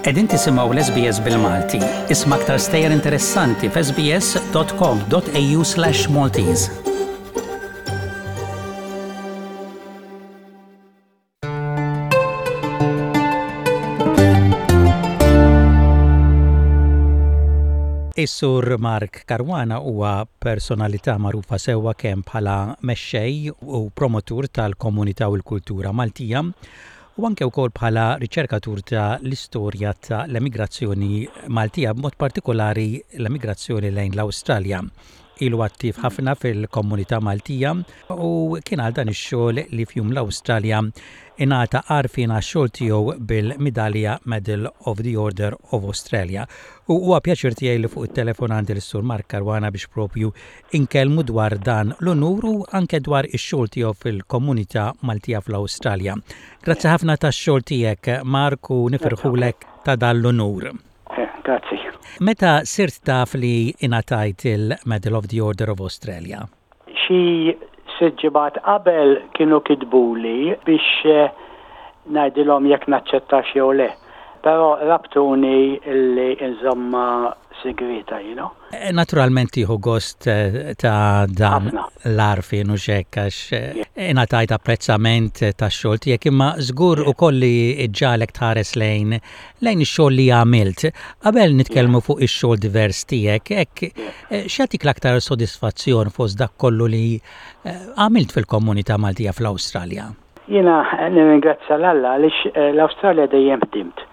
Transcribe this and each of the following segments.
Qegħdin tisimgħu l-SBS bil-Malti. Isma' aktar stejjer interessanti f'sbs.com.au/Maltese. Is-Sur Mark Caruana huwa personalità magħrufa sewwa kemm bħala mexxej u promotur tal-komunità u l-kultura Maltija u anke wkoll bħala riċerkatur ta' l-istorja ta' l-emigrazzjoni Maltija b'mod partikolari l-emigrazzjoni lejn l-Awstralja. Ilu attiv ħafna fil-komunità Maltija u kien għal dan ix-xogħol li f'Jum l-Awstralja ingħata għarfien għax-xogħol tiegħu bil-midalja Medal of the Order of Australia. U huwa pjaċir tiegħi li fuq it-telefon għandi lis-Sur Mark Caruana biex propju inkellmu dwar dan l-unur u anke dwar ix-xogħol tiegħu fil-komunità Maltija fl-Awstralja. Grazzi ħafna tax-xogħol tiegħek Mark u nifirħulek ta' dan l-unur. Eh, grazzi. Meta sirt taf li ingħatajt il-Medal of the Order of Australia? Xi sitt ġimgħat qabel kienu kitbuli biex eh, ngħidilhom jekk naċċettax jew le. Però rabtuni illi nżommha sigrieta, you know. Eh, naturalment tieħu gost eh, ta' dan l-għarfien u xek għax eh, ingħatajt apprezzament tax-xogħol tiegħek imma żgur ukoll li ġġagħlek tħares lejn lejn ix-xogħol li għamilt. Qabel nitkellmu fuq ix-xogħol divers tiegħek, hekk x'jagħtik l-aktar sodisfazzjon fost dak kollu li għamilt fil-komunità Maltija fl-Awstralja? Jiena nirringrazzja 'l Alla għaliex l-Awstralja dejjem ħdimt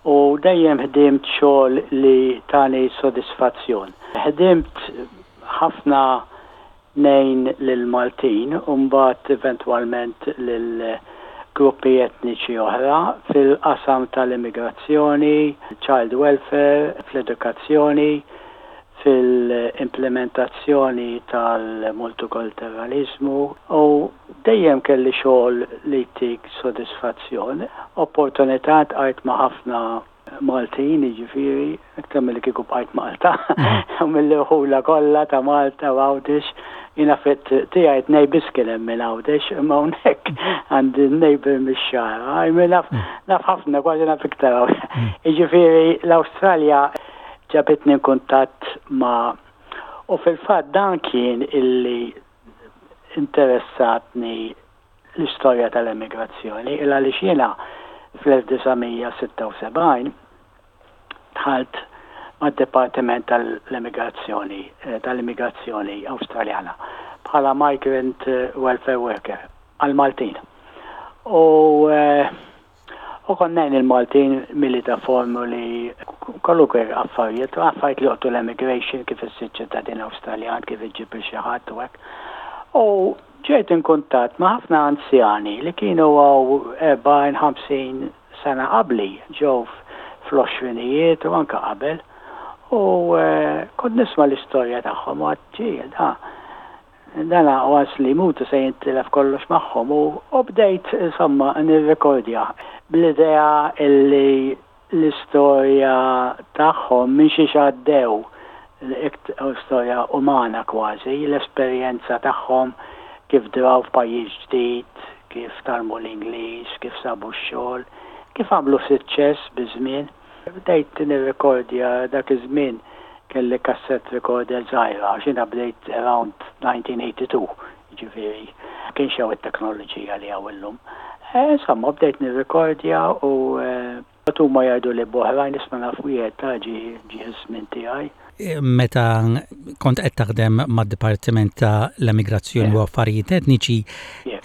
u dejjem ħdimt xogħol li tani sodisfazzjon. Ħdimt ħafna ngħin lill-Maltin u mbagħad eventwalment lil gruppi etniċi oħra fil-qasam tal-immigrazzjoni, child welfare, fl-edukazzjoni, fil-implimentazzjoni tal-multikulturaliżmu u Dejjem kelli xogħol li jtik sodisfazzjon. Opportunità ltqajt ma' ħafna Maltin, jiġifieri, iktar milli kieku bqajt Malta, u mill-irħula kollha ta' Malta u Għawdex. Jiena fit-triq tiegħi tnejn biss kien hemm minn Għawdex, imma hawnhekk għandi neighbour mix-Xagħra. I mean naf naf ħafna, kważi naf iktar hawn. Jiġifieri l-Awstralja ġabitni nkuntatt ma' u fil-fatt dan kien illi interessatni l-istorja tal-emigrazzjoni il għaliex jiena fl-1976 dħalt mad-Dipartiment tal-Emigrazzjoni tal-Immigrazzjoni Awstraljana bħala Migrant Welfare Worker għall-Maltin. U U kont ngħin il-Maltin mili ta' formuli, kwalunkwe affarijiet, affarijiet li joqtu l-emigration, kif issir ċittadin Awstraljan, kif iġġib lil xi ħadd u hekk. U ġejt in kuntatt ma' ħafna anzjani li kienu hawn 40, 50 sena qabli, ġew fl-għoxrinijiet u anke qabel. U kont nisma' l-istorja tagħhom u għedt, ġie, da, Dan once li jmutu se jintilef kollox magħhom u bdejt insomma nirrekordja bl-idea illi l-istorja tagħhom minn xiex għaddew, storja umana kważi, l-esperjenza tagħhom kif draw f'pajjiż ġdid, kif tgħallmu l-Ingliż, kif sabu x-xogħol, kif għamlu suċċess biż-żmien. Bdejt nirrekordja dak iż-żmien kelli cassette recorder żgħira għax jiena bdejt around 1982, jiġifieri ma kienx hawn it-teknoloġija li hawn illum. Insomma bdejt nirrekordja u mbagħad huma jgħiduli b'oħrajn isma' naf wieħed ta' ġie ġie ż-żmien tiegħi. Meta kont qed taħdem mad-Dipartiment ta' l-Emigrazzjoni u Affarijiet Etniċi,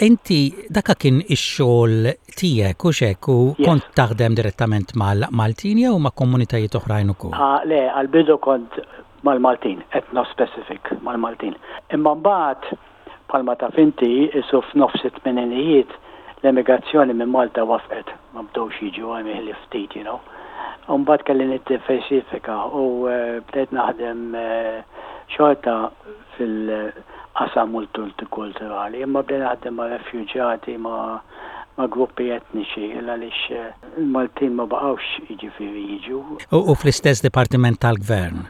inti daka kien ix-xogħol tiegħek hux hekk u kont taħdem direttament mal-Maltin jew ma' komunitajiet oħrajn ukoll? Le, għall-bidu kont mal-Maltin, ethno-specific mal-Maltin. Imma mbagħad Bħalma taf inti, qisu f'nofs it-tmeninijiet l-emigrazzjoni minn Malta wafqet, ma bdewx jiġu hemm ħlief ftit, you know. U mbagħad kelli niddiversifika u bdejt naħdem xorta fil-qasam multikulturali, imma bdejt naħdem ma' refjuġjati, ma' ma' gruppi etniċi, il għaliex il-Maltin ma baqgħux jiġifieri jiġu. U fl-istess dipartiment tal-Gvern?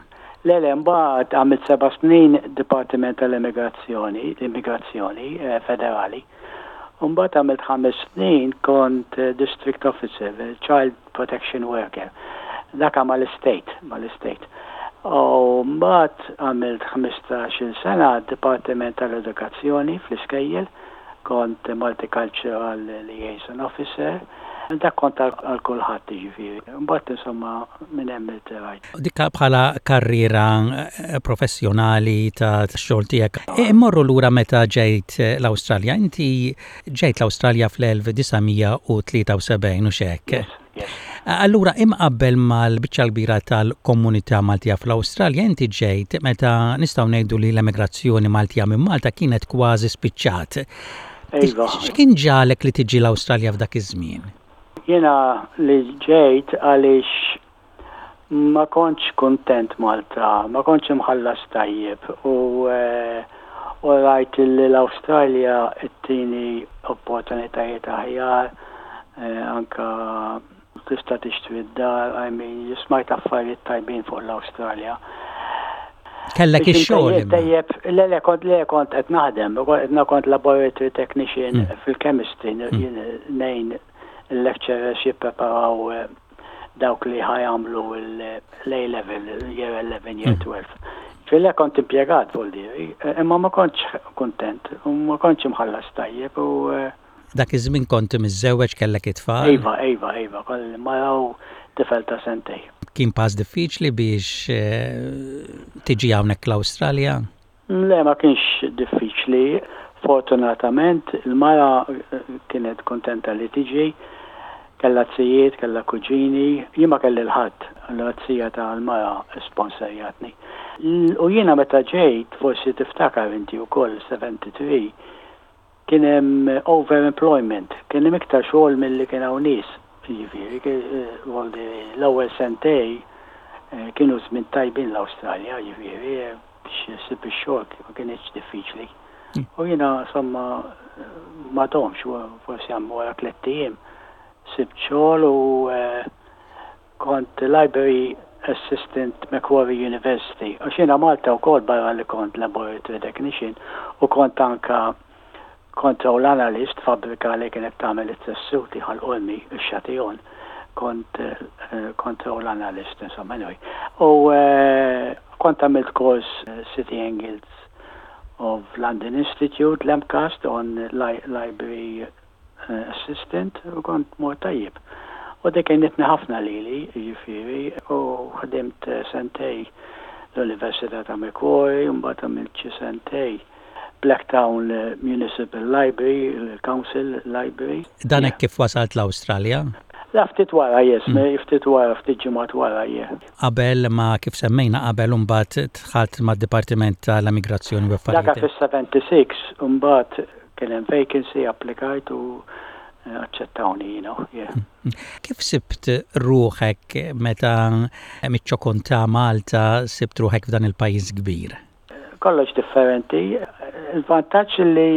Le, le, mbagħad għamilt seba' snin Dipartiment tal-Emigrazzjoni, l-Immigrazzjoni Federali. U mbagħad għamilt ħames snin kont district officer, child protection worker. Dak mal-istate, mal-istate. U mbagħad għamilt 15-il sena Dipartiment tal-Edukazzjoni fl-iskejjel, kont Multicultural Liaison Officer. Dak kont għal kulħadd jiġifieri. Mbagħad insomma minn hemm irtirajt. Dik bħala karriera professjonali ta' xogħol tiegħek. Immorru lura meta ġejt l-Awstralja. Inti ġejt l-Awstralja fl-1973 u x'hekk? Yes. Allura imqabbel mal-biċċa l-kbira tal-komunità Maltija fl-Awstralja, inti ġejt meta nistgħu ngħidu li l-emigrazzjoni Maltija minn Malta kienet kważi spiċċat. Iva. X'kien ġagħlek li tiġi l-Awstralja f'dak iż-żmien? Jiena li ġejt għaliex ma kontx kuntent Malta, ma kontx imħallas tajjeb u u rajt li l-Awstralja ttini opportunitajiet aħjar, anka tista' tixtri d-dar, I mean, smajt affarijiet tajbin fuq l-Awstralja. Kellek ix-xogħol. Tajjeb, le le kont le kont qed naħdem, kont laboratory technician fil-chemistry, ngħin il-lecturers jippreparaw dawk li ħa jagħmlu l-A level, year 11, year 12. Fil kont impjegat vuldiri, imma ma kontx kuntent, u ma kontx imħallas tajjeb u Dak iż-żmien kont miżżewweġ kellek it-tfal? Iva, iva, iva, kelli mara u tifel ta' sentej. Kien pass diffiċli biex tiġi hawnhekk l-Awstralja? Le, ma kienx diffiċli. Fortunatament, il-mara kienet kontenta li tiġi, kellha zijiet, kellha kuġini, jien ma kelli 'l ħadd, allura z-zija tal-mara sponsorjatni. U jiena meta ġejt, forsi tiftakar inti wkoll 73, kien hemm overemployment, kien hemm iktar xogħol milli kien hawn nies, jiġifieri, l-ewwel sentej kienu żmien tajbin l-Awstralja, jiġifieri biex issib ix-xogħol ma kinitx diffiċli. U jiena insomma ma domx, forsi wara tlett ijiem sibt xogħol u kont library assistant Macquarie University. Għax jiena Malta wkoll barra li kont laboratory technician u kont anka control analyst fabbrika li kienet tagħmel it-tessuti Ħal Qormi, ix-Châtillon. Kont control analyst, insomma, anyway. U kont għamilt kors City and Guilds of London Institute, l-MCAST, on library assistant u kont mort tajjeb. U dik għenitni ħafna lili, jiġifieri, u ħdimt sentej l-Università ta' Macquarie, u mbagħad għamilt xi sentej Blacktown Municipal Library, il-Council Library. Dan hekk kif wasalt l-Awstralja? La ftit wara, yes, ftit wara, ftit ġimgħat wara, yeah. Qabel ma kif semmejna qabel imbagħad dħalt mad-Dipartiment tal-Immigrazzjoni u Affarijiet. Dak fis-76, imbagħad kien hemm vacancy, applikajt u aċċettawni, yeah. Kif sibt ruħek meta miċ-ċokon ta' Malta sibt ruħek f'dan il-pajjiż kbir? Kollox differenti. Il-vantaġġ li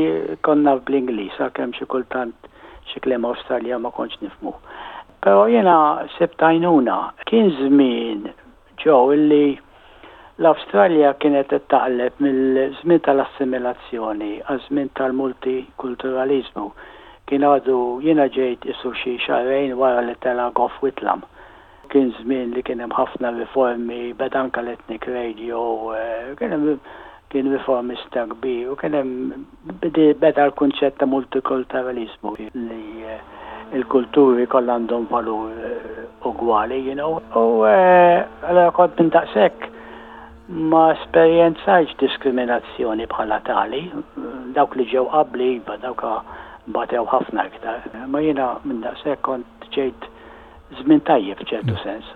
konna bl-Ingliż, għalkemm xi kultant xi kliem Awstralja ma kontx nifhmu. Però jiena sibt għajnuna. Kien żmien ġew illi l-Awstralja kienet qed taqleb mill-żmien tal-assimilazzjoni għaż-żmien tal-multikulturaliżmu. Kien għadu jiena ġejt isu xi xahrejn wara li tela' Gough Whitlam. Kien żmien li kien hemm ħafna riformi, beda anke l-ethnic radio, kien hemm kien riformista kbir u kien hemm beda l-kunċett ta' multikulturaliżmu li l-kulturi kollha għandhom valur ugwali, you know. U allura kont minn daqshekk ma esperjenzajtx diskriminazzjoni bħala tali. Dawk li ġew qabli iva, dawk batew ħafna iktar. Ma jiena minn daqshekk kont ġejt żmien tajjeb f'ċertu sens.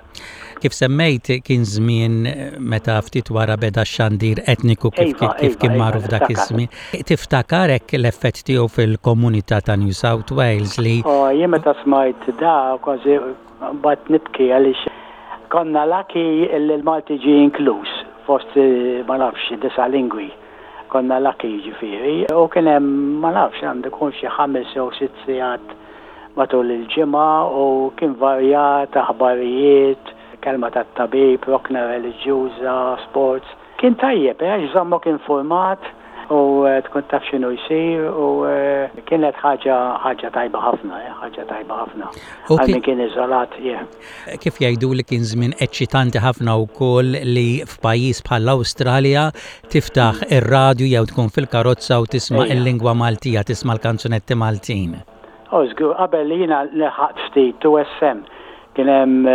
Kif semmejt kien żmien meta ftit wara beda x-xandir etniku kif Iva, kif iva, kien iva, magħruf dak niftakar. iż-żmien. Tiftakar hekk l-effett tiegħu fil-komunità ta' New South Wales li Oh, jien meta smajt da kważi bqajt nibki għaliex konna lucky li l-Malti ġie inkluż fost ma nafx disa' lingwi. Konna lucky jiġifieri u kien hemm ma nafx għandu jkun xi ħames jew sitt sigħat matul il-ġimgħa u kien varjat, aħbarijiet, kelma tat-tabib, rokna reliġjuża, sports. Kien tajjeb, eh, għax żammok infurmat. U tkun taf x'inhu jsir u kienet ħaġa ħaġa tajba ħafna, ħaġa tajba ħafna. Għal min kien iżolat, yeah. Kif jgħidu li kien żmien eċċitanti ħafna wkoll li f'pajjiż bħall-Awstralja tiftaħ ir-radju jew tkun fil-karozza u tisma' il-lingwa Maltija, tisma' l-kanzunetti Maltin. Oh, żgur, qabel li jiena lħaqt ftit 2SM kien hemm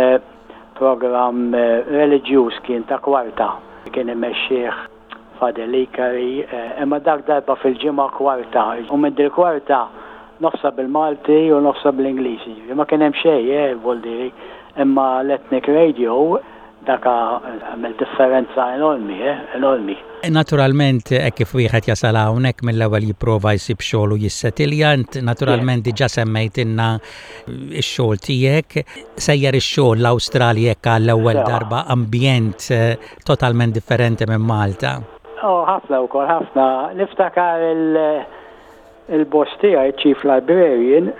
programm reliġjuż kien ta' kwarta kien imexxih Father Licari, imma dak darba fil-ġimgħa kwarta, u minn dil-kwarta nofsha bil-Malti u nofsha bl-Ingliż, jiġifieri ma kien hemm xejn, eh, vuol dire, imma l-Ethnic Radio dak għamel differenza enormi, eh, enormi. Naturalment hekk kif wieħed jasal hawnhekk mill-ewwel jipprova jsib xogħol u jissetilja, int naturalment diġà semmejtilna x-xogħol tiegħek. Sejjer ix-xogħol l-Awstralja hekk għall-ewwel darba ambjent totalment differenti minn Malta. Oh, ħafna wkoll, ħafna. Niftakar il-boss tiegħi, Chief Librarian,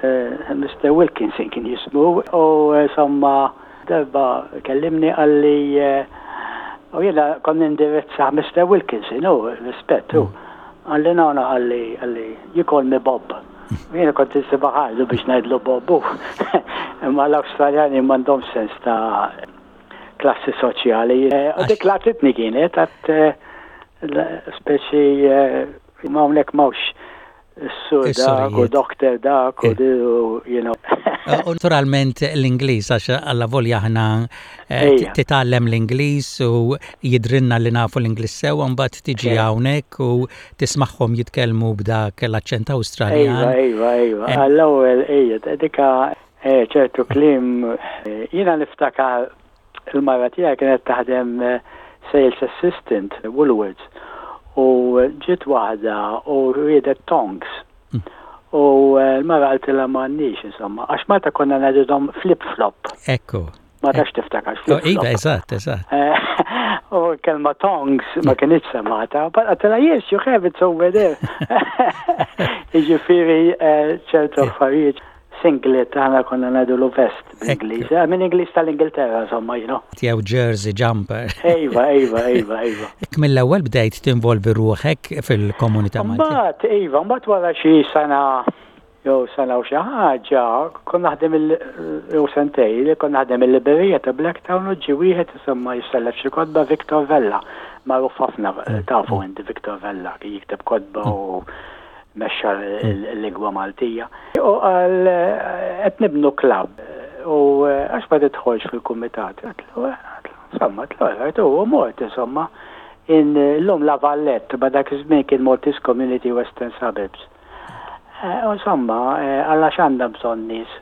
Mr. Wilkinson kien jismu, u insomma darba kellimni qalli u jiena kont nindirizza Mr. Wilkinson, u rispett, u qalli no, no, qalli, qalli, you call me Bob. U jiena kont insibha ħardu biex ngħidlu Bob, u imma l-Awstraljani m'għandhomx sens ta' klassi soċjali. U dik laqtitni kienet għat speċi ma hawnhekk m'hawnx is-sur dak u doktor dak u you know. U naturalment l-Ingliż għax allavolja aħna titgħallem l-Ingliż u jidhrilna li nafu l-Ingliż sew mbagħad tiġi hawnhekk u tismagħhom jitkellmu b'dak l-aċċent Awstraljan. Iva, iva, iva. Għall-ewwel ejja, dika Eh, ċertu kliem, jiena niftakar il-mara tiegħi kienet taħdem sales assistant Woolworths u ġiet waħda u riedet tongs. U l-mara qaltilha m'għandniex insomma, għax Malta konna ngħidilhom flip flop. Ekku. Ma tafx tiftakar flip flop. Iva, eżatt, eżatt. U kelma tongs ma kinitx semata, but qaltilha yes, you have it over there. Jiġifieri ċertu affarijiet. Singlet, aħna konna ngħidulu vest bl-Ingliż. Eh, minn Ingliż tal-Ingilterra, insomma, you know. Jew jersey jumper. Ejva, ejva, ejva, ejva. Ek mill-ewwel bdejt tinvolvi ruħek fil-komunità Maltija. Mbagħad, iva, mbagħad wara xi sena jew sena u xi ħaġa, kont naħdem il jew sentej, li kont naħdem il-librerija ta' Blacktown u ġie wieħed insomma jissellef xi kotba Victor Vella, magħruf ħafna tafu inti Victor Vella, kien jikteb kotba u mexxa l-lingwa Maltija. U qal qed nibnu klabb u għax ma tidħolx fil-kumitat. Għedtlu, insomma, għedtlu alright, u mort insomma. Illum La Vallette, ma dak iż-żmien kien Maltese Community Western Suburbs. U insomma, qal għax għandna bżonn nies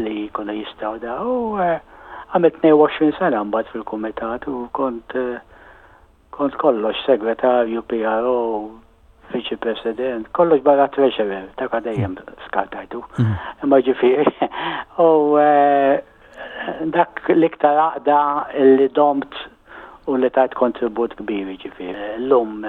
li jkunu jistgħu da. U għamilt 22 sena mbagħad fil-kumitat u kont Kont kollox, segretarju, PRO, viċi president, kollox barra treasurer, dak dejjem skartajtu. Imma ġifieri, u dak l-iktar għaqda li domt u li tajt kontribut kbir ġifieri. Llum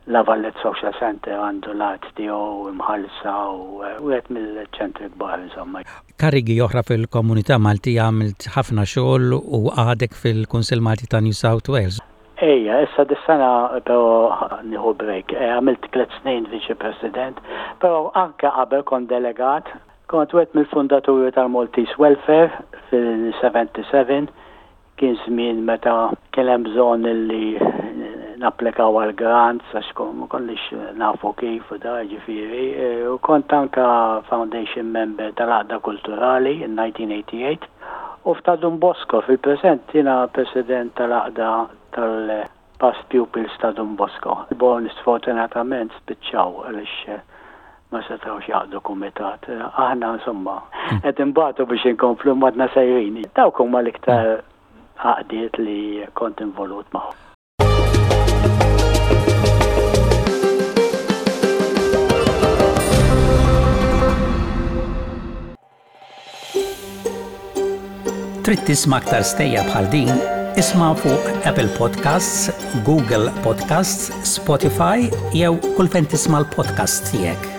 La Valette Social Centre għandu l-art tiegħu imħallsa u wieħed mill-ċentri kbar insomma. Karigi oħra fil-komunità Maltija għamilt ħafna xogħol u għadek fil-Kunsill Malti ta' New South Wales. Ejja, issa dis-sena però nieħu break. Għamilt tliet snin Viċi President, però anke qabel kont delegat. Kont wieħed mill-fundaturi tal-Maltese Welfare fil-77 Kien żmien meta kien hemm bżonn illi napplikaw għal grants għax ma konniex nafu kif u da ġifieri. U kont anke foundation member tal-Għaqda Kulturali in 1988 u f'ta' Dun Bosco fil-preżent jiena president tal-Għaqda tal-Past Pupils ta' Dun Bosco. Born sfortunatament spiċċaw għaliex ma setgħux jgħaqqdu kumitat. Aħna insomma qed inbatu biex inkomplu imma għadna sejrin. Dawk huma l-iktar għaqdiet li kont involut magħhom. Trid tisma' aktar stejjer bħal din? Isma' fuq Apple Podcasts, Google Podcasts, Spotify jew kull fejn tisma' l-podcasts tiegħek.